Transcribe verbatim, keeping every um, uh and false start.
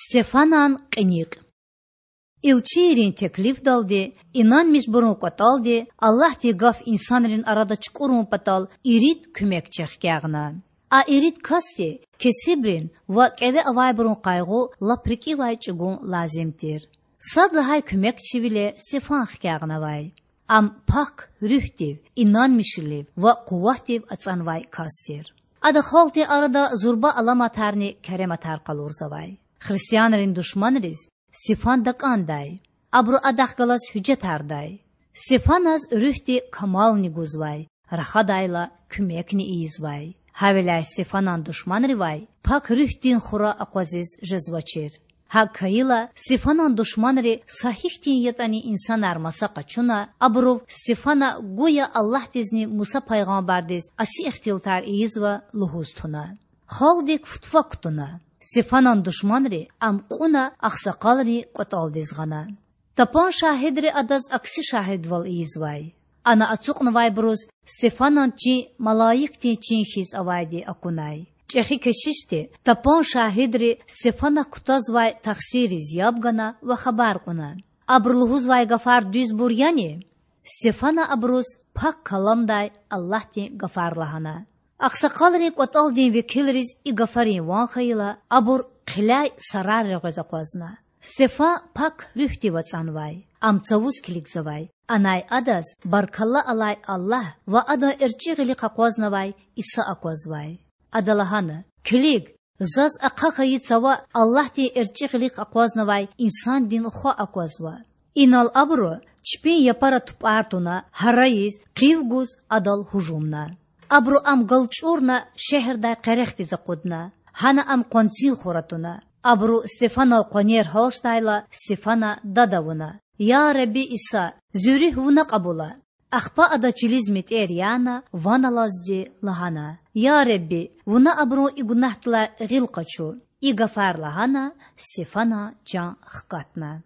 Стефанан кьиникь. Илчийрин теклифдалди, инанмишбурун кІватІалди Аллагьдин Гаф инсанрин арада чукІурун патал ирид куьмекчи хкягъна. А ирид касди кесибрин ва кІеве авайбурун къайгъу лап рикІивай чІугун лазим тир. Сад лагьай куьмекчивиле Стефан хкягънавай. Ам Пак Руьгьдив, инанмишвилив ва къуватдив ацІанвай кас тир. Ада халкьдин арада зурба аламатарни керематар къалурзавай. Христианрин душманриз Стефан такІандай. Абуру адахъ галаз гьуьжетардай. Стефаназ Руьгьди камални гузвай, рахадайла, куьмекни ийизвай. Гьавиляй Стефанан душманривай Пак Руьгьдин хура акъвазиз жезвачир. ГьакІ хьайила, Стефанан душманри са гьихьтин ятІани инсанар маса къачуна, абурув Стефана гуя Аллагьдизни Муса пайгъамбардиз аси ихтилатар ийизва лугьуз туна. Халкьдик футфа кутуна. Стефанан душманри ам кьуна агъсакъалрин кІватІалдиз гъана. Тапан шагьидри адаз акси шагьидвал ийизвай. Ана ацукьнавайбуруз Стефанан чин малаикдин чин хьиз авайди акунай. ЧІехи кешишди тапан шагьидри Стефанак кутазвай тахсирриз яб гана ва хабар кьуна: Абуру лугьузвай гафар дуьзбур яни? Стефана абуруз Пак Каламдай Аллагьдин гафар лагьана. Агъсакъалрин кІватІалдин векилриз и гафарин ван хьайила, абур хъиляй сарар регъвез акъвазна. Стефан Пак Руьгьдив ацІанвай. Ам цавуз килигзавай, анай адаз баркалла алай Аллагь ва Адан эрчІи гъилихъ акъвазнавай Иса аквазвай. Ада лагьана: Килиг, заз ахъа хьайи цава Аллагьдин эрчІи гъилихъ акъвазнавай Инсандин Хва аквазва. Инал абуру чпин япара тупІар туна, гьарайиз, къив гуз Адал гьужумна. Абуру Ам галчІурна шегьердай къерехдиз акъудна. Гьана Ам къванцин хура туна. Абуру Стефанал къванер гьалчдайла, Стефана дад авуна: Я Худа Иса, зи руьгь Вуна кьабула! Ахпа ада чилиз метІер яна, ван алазди лагьана: Я Худа, Вуна абурун и гунагьдилай гъил къачу! И гафар лагьана, Стефанан чан хкатна.